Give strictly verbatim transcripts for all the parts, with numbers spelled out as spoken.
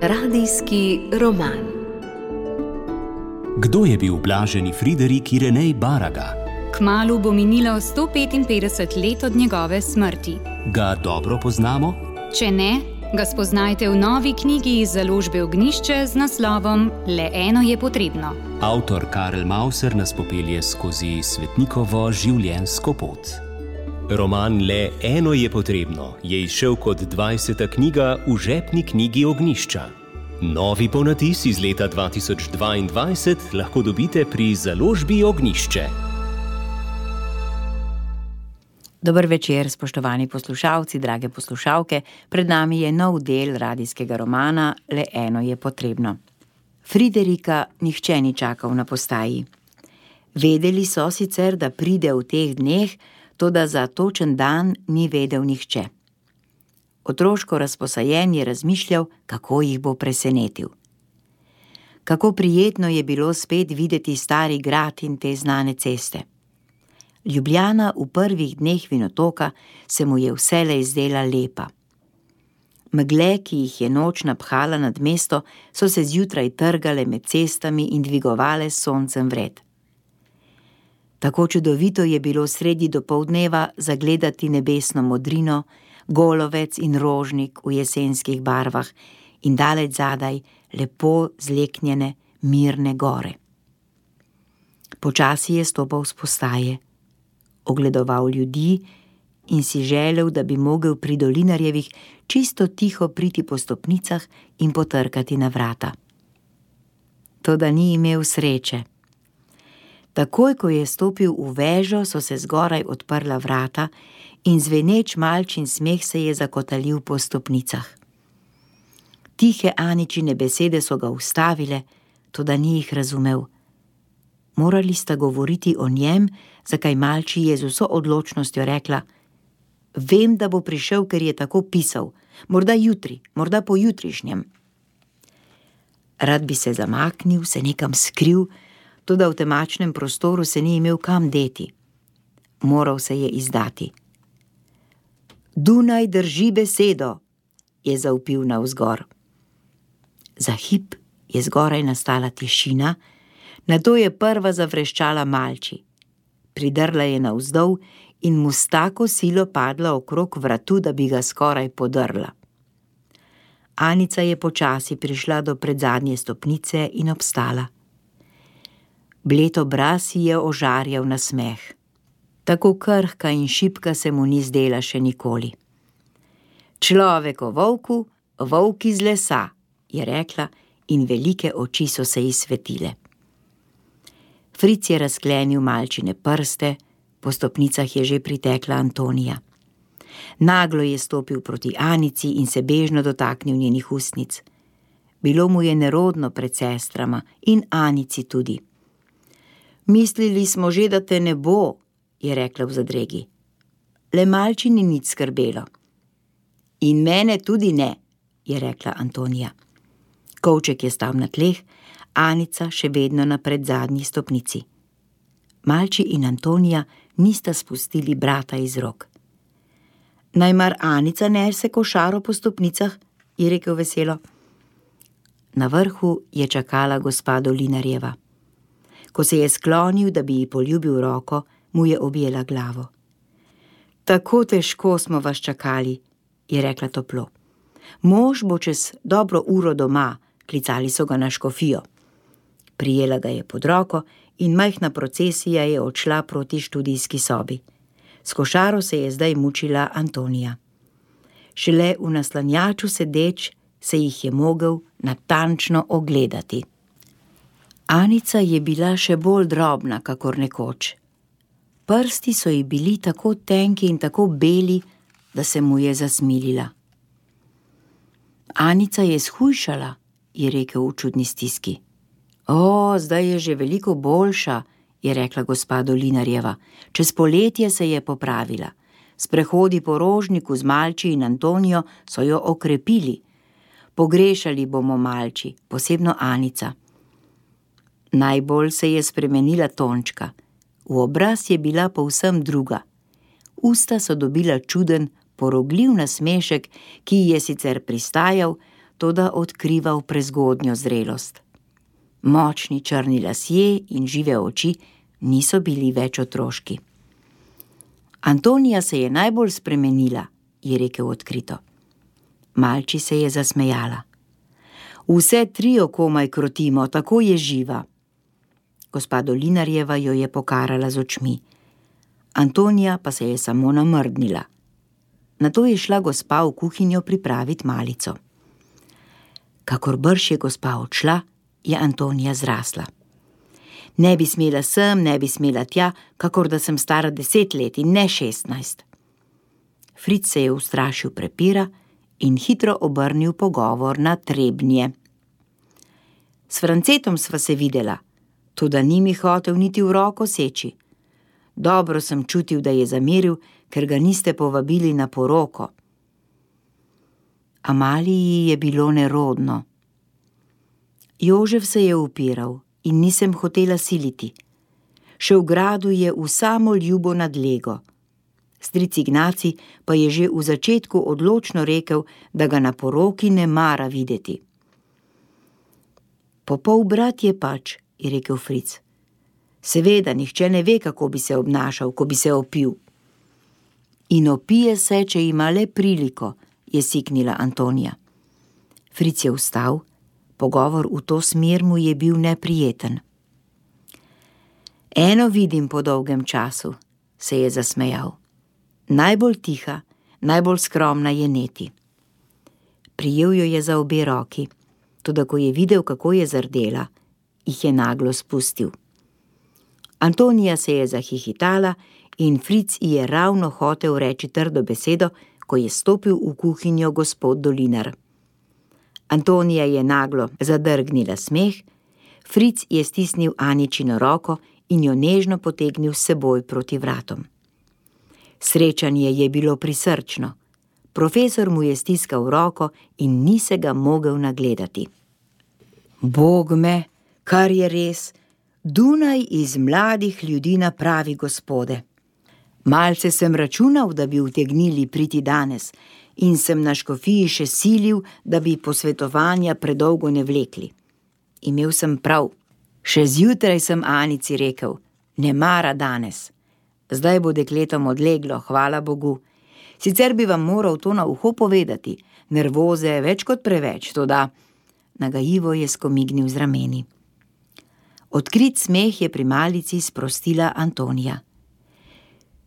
Radijski roman. Kdo je bil blaženi Friderik Irenej Baraga? Kmalu bo minilo sto petinpetdeset let od njegove smrti. Ga dobro poznamo? Če ne, ga spoznajte v novi knjigi iz založbe Ognjišče z naslovom Le eno je potrebno. Avtor Karel Mauser nas popelje skozi svetnikovo življenjsko pot. Roman Le eno je potrebno je izšel kot dvajseta knjiga v žepni knjigi Ognjišča. Novi ponatis iz leta dva tisoč dvaindvajset lahko dobite pri založbi Ognjišče. Dober večer, spoštovani poslušalci, drage poslušalke. Pred nami je nov del radijskega romana Le eno je potrebno. Friderika nihče ni čakal na postaji. Vedeli so sicer, da pride v teh dneh, toda za točen dan ni vedel nihče. Otroško razposajen je razmišljal, kako jih bo presenetil. Kako prijetno je bilo spet videti stari grad in te znane ceste. Ljubljana v prvih dneh Vinotoka se mu je vselej zdela lepa. Megle, ki jih je noč naphala nad mesto, so se zjutraj trgale med cestami in dvigovale s soncem vred. Tako čudovito je bilo sredi dopoldneva zagledati nebesno modrino, golovec in rožnik v jesenskih barvah in daleč zadaj lepo zleknjene, mirne gore. Počasi je stopal s postaje, ogledoval ljudi in si želel, da bi mogel pri Dolinarjevih čisto tiho priti po stopnicah in potrkati na vrata. Toda ni imel sreče. Takoj, ko je stopil v vežo, so se zgoraj odprla vrata in zveneč malčin smeh se je zakotalil po stopnicah. Tihe Aničine besede so ga ustavile, toda ni jih razumel. Morali sta govoriti o njem, zakaj malči je z vso odločnostjo rekla: Vem, da bo prišel, ker je tako pisal, morda jutri, morda pojutrišnjem. Rad bi se zamaknil, se nekam skril, toda v temačnem prostoru se ni imel kam deti. Moral se je izdati. Dunaj drži besedo, je zavpil navzgor. Za hip je zgoraj nastala tišina, nato je prva zavreščala malči. Pridrla je navzdol in mu s tako silo padla okrog vratu, da bi ga skoraj podrla. Anica je počasi prišla do predzadnje stopnice in obstala. Bled obraz ji je ožarjal nasmeh. Tako krhka in šibka se mu ni zdela še nikoli. Človek o volku, volk iz lesa, je rekla in velike oči so se ji svetile. Fric je razklenil malčine prste, po stopnicah je že pritekla Antonija. Naglo je stopil proti Anici in se bežno dotaknil njenih ustnic. Bilo mu je nerodno pred sestrama in Anici tudi. Mislili smo že, da te ne bo, je rekla v zadregi. Le malči ni nič skrbelo. In mene tudi ne, je rekla Antonija. Kovček je stal na tleh, Anica še vedno na predzadnji stopnici. Malči in Antonija nista spustili brata iz rok. Naj mar Anica nese košaro po stopnicah, je rekel veselo. Na vrhu je čakala gospa Dolinarjeva. Ko se je sklonil, da bi ji poljubil roko, mu je objela glavo. Tako težko smo vas čakali, je rekla toplo. Mož bo čez dobro uro doma, klicali so ga na škofijo. Prijela ga je pod roko in majhna procesija je odšla proti študijski sobi. S košaro se je zdaj mučila Antonija. Šele v naslanjaču sedeč se jih je mogel natančno ogledati. Anica je bila še bolj drobna, kakor nekoč. Prsti so ji bili tako tenki in tako beli, da se mu je zasmilila. Anica je shujšala, je rekel v čudni stiski. O, zdaj je že veliko boljša, je rekla gospa Dolinarjeva. Čez poletje se je popravila. Sprehodi po Rožniku z Malči in Antonijo so jo okrepili. Pogrešali bomo Malči, posebno Anica. Najbolj se je spremenila Tončka. V obraz je bila povsem druga. Usta so dobila čuden, porogljiv nasmešek, ki ji je sicer pristajal, toda odkrival prezgodnjo zrelost. Močni črni lasje in žive oči niso bili več otroški. Antonija se je najbolj spremenila, je rekel odkrito. Malči se je zasmejala. Vse tri jo komaj krotimo, tako je živa. Gospa Dolinarjeva jo je pokarala z očmi. Antonija pa se je samo namrdnila. Nato je šla gospa v kuhinjo pripraviti malico. Kakor brž je gospa odšla, je Antonija zrasla. Ne bi smela sem, ne bi smela tja, kakor da sem stara deset let in ne šestnajst. Fric se je ustrašil prepira in hitro obrnil pogovor na Trebnje. S Francetom sva se videla, toda ni mi hotel niti v roko seči. Dobro sem čutil, da je zameril, ker ga niste povabili na poroko. Amaliji je bilo nerodno. Jožef se je upiral in nisem hotela siliti. Še v gradu je v samo ljubo nadlego. Stric Ignaci pa je že v začetku odločno rekel, da ga na poroki ne mara videti. Popol brat je pač, je rekel Fric. Seveda, nihče ne ve, kako bi se obnašal, ko bi se opil. In opije se, če ima le priliko, je siknila Antonija. Fric je vstal, pogovor v to smer mu je bil neprijeten. Eno vidim po dolgem času, se je zasmejal. Najbolj tiha, najbolj skromna je Neti. Prijel jo je za obe roki, toda ko je videl, kako je zardela, jih je naglo spustil. Antonija se je zahihitala in Fric ji je ravno hotel reči trdo besedo, ko je stopil v kuhinjo gospod Dolinar. Antonija je naglo zadrgnila smeh, Fric je stisnil Aničino roko in jo nežno potegnil s seboj proti vratom. Srečanje je bilo prisrčno. Profesor mu je stiskal roko in ni se ga mogel nagledati. Bog me, kar je res, Dunaj iz mladih ljudi napravi gospode. Malce sem računal, da bi utegnili priti danes in sem na škofiji še silil, da bi posvetovanja predolgo ne vlekli. Imel sem prav. Še zjutraj sem Anici rekel, ne mara danes. Zdaj bo dekletom odleglo, hvala Bogu. Sicer bi vam moral to na uho povedati, nervoze več kot preveč, toda nagajivo je skomignil z rameni. Odkrit smeh je pri malici sprostila Antonija.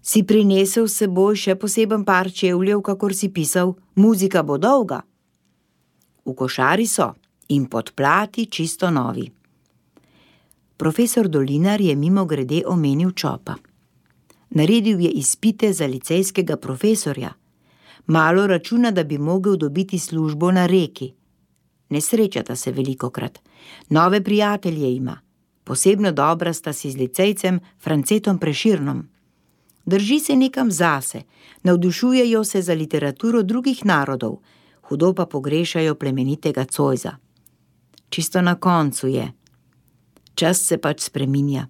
Si prinesel s seboj še poseben par čevljev, kakor si pisal, muzika bo dolga? V košari so in podplati čisto novi. Profesor Dolinar je mimogrede omenil Čopa. Naredil je izpite za licejskega profesorja. Malo računa, da bi mogel dobiti službo na Reki. Ne srečata se velikokrat. Nove prijatelje ima. Posebno dobra sta si z licejcem Francetom Preširnom. Drži se nekam zase, navdušujejo se za literaturo drugih narodov, hudo pa pogrešajo plemenitega Cojza. Čisto na koncu je. Čas se pač spreminja.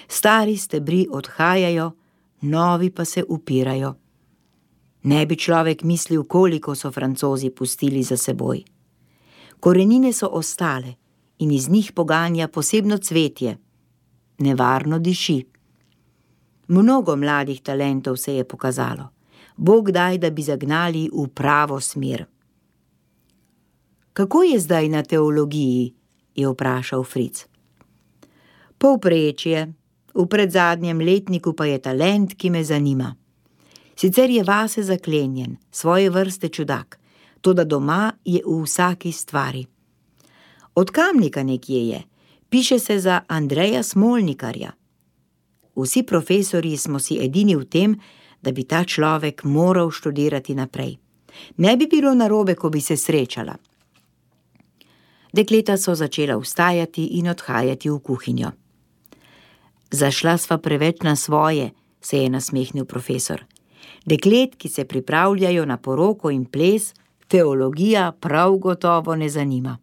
Stari stebri odhajajo, novi pa se upirajo. Ne bi človek mislil, koliko so Francozi pustili za seboj. Korenine so ostale in iz njih poganja posebno cvetje. Nevarno diši. Mnogo mladih talentov se je pokazalo. Bog daj, da bi zagnali v pravo smer. Kako je zdaj na teologiji? Je vprašal Fric. Povprečje, v predzadnjem letniku pa je talent, ki me zanima. Sicer je vase zaklenjen, svoje vrste čudak, toda doma je v vsaki stvari. Od Kamnika nekje je, piše se za Andreja Smolnikarja. Vsi profesorji smo si edini v tem, da bi ta človek moral študirati naprej. Ne bi bilo narobe, ko bi se srečala. Dekleta so začela vstajati in odhajati v kuhinjo. Zašla sva preveč na svoje, se je nasmehnil profesor. Deklet, ki se pripravljajo na poroko in ples, teologija prav gotovo ne zanima.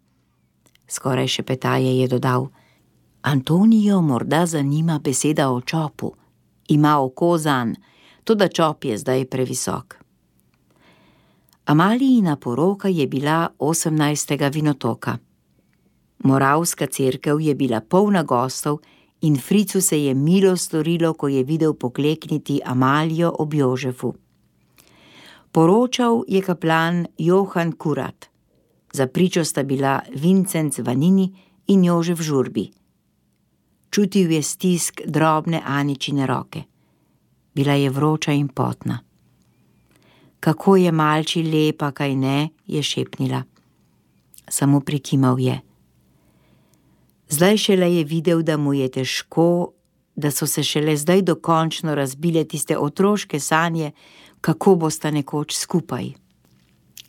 Skoraj šepetaje je dodal. Antonijo morda zanima beseda o Čopu. Ima oko zanj, toda Čop je zdaj previsok. Amalijina poroka je bila osemnajstega vinotoka. Moravska cerkev je bila polna gostov in Fricu se je milo storilo, ko je videl poklekniti Amalijo ob Jožefu. Poročal je kaplan Johan Kurat. Za pričo sta bila Vincenc Vanini in Jožef Žurbi. Čutil je stisk drobne Aničine roke. Bila je vroča in potna. Kako je malči lepa, kaj ne, je šepnila. Samo prikimal je. Zdaj šele je videl, da mu je težko, da so se šele zdaj dokončno razbile tiste otroške sanje, kako bosta nekoč skupaj.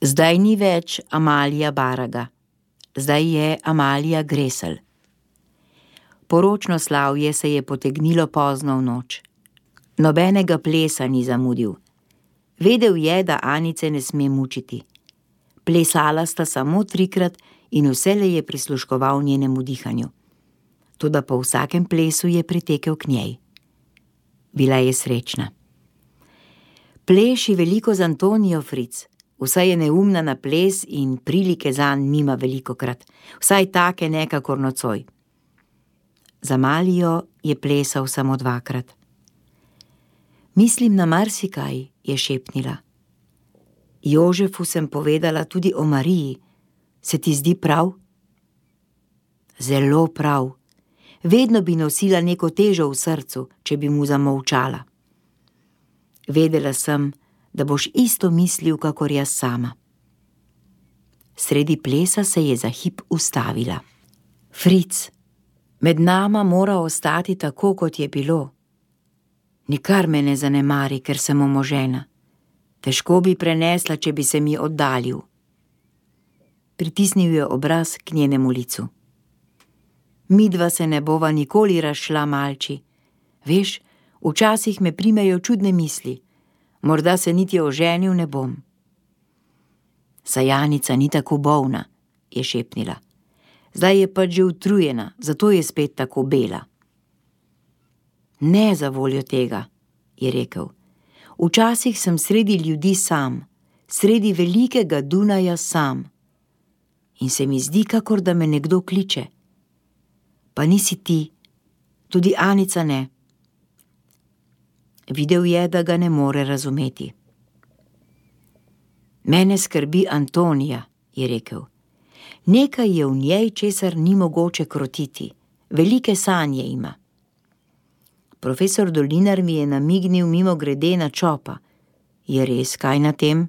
Zdaj ni več Amalija Baraga, zdaj je Amalija Gresel. Poročno slavje se je potegnilo pozno v noč. Nobenega plesa ni zamudil. Vedel je, da Anice ne sme mučiti. Plesala sta samo trikrat in vselej je prisluškoval njenemu dihanju. Toda po vsakem plesu je pritekel k njej. Bila je srečna. Pleši veliko z Antonijo, Fric. Vsaj je neumna na ples in prilike zanj nima velikokrat. Vsaj take nekakor nocoj. Za Amalijo je plesal samo dvakrat. Mislim na marsikaj, je šepnila. Jožefu sem povedala tudi o Mariji. Se ti zdi prav? Zelo prav. Vedno bi nosila neko težo v srcu, če bi mu zamolčala. Vedela sem, da boš isto mislil, kakor jaz sama. Sredi plesa se je za hip ustavila. Fric, med nama mora ostati tako, kot je bilo. Nikar me ne zanemari, ker sem omožena. Težko bi prenesla, če bi se mi oddaljil. Pritisnil je obraz k njenemu licu. Midva se ne bova nikoli razšla, malči. Veš, včasih me primejo čudne misli. Morda se niti oženil ne bom. Sajanica ni tako bolna, je šepnila. Zdaj je pač že utrujena, zato je spet tako bela. Ne za voljo tega, je rekel. Včasih sem sredi ljudi sam, sredi velikega Dunaja sam. In se mi zdi, kakor da me nekdo kliče. Pa nisi ti, tudi Anica ne. Videl je, da ga ne more razumeti. Mene skrbi Antonija, je rekel. Nekaj je v njej, česar ni mogoče krotiti. Velike sanje ima. Profesor Dolinar mi je namignil mimo grede na Čopa. Je res kaj na tem?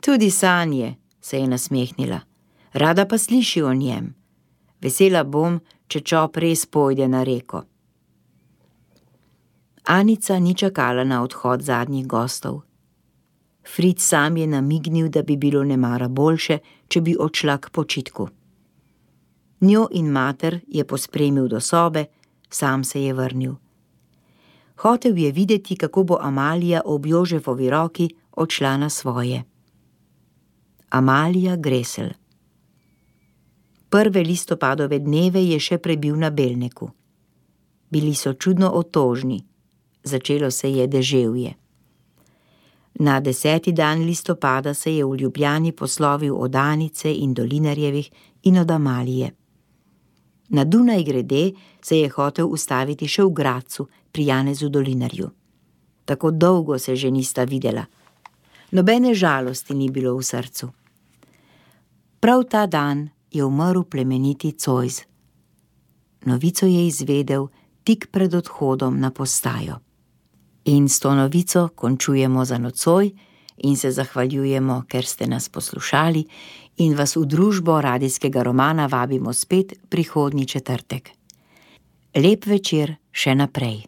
Tudi sanje, se je nasmehnila. Rada pa sliši o njem. Vesela bom, če Čop res pojde na reko. Anica ni čakala na odhod zadnjih gostov. Fric sam je namignil, da bi bilo nemara boljše, če bi odšla k počitku. Njo in mater je pospremil do sobe, sam se je vrnil. Hotel je videti, kako bo Amalija ob Jožefovi roki odšla na svoje. Amalija Gresel. Prve listopadove dneve je še prebil na Belneku. Bili so čudno otožni. Začelo se je deževje. Na deseti dan listopada se je v Ljubljani poslovil od Anice in Dolinarjevih in od Amalije. Na Dunaj grede se je hotel ustaviti še v Gradcu pri Janezu Dolinarju. Tako dolgo se že nista videla. Nobene žalosti ni bilo v srcu. Prav ta dan je umrl plemeniti Cojz. Novico je izvedel tik pred odhodom na postajo. In s to novico končujemo za nocoj in se zahvaljujemo, ker ste nas poslušali in vas v družbo radijskega romana vabimo spet prihodnji četrtek. Lep večer še naprej.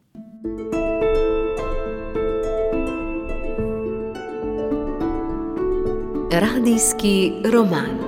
Radijski roman.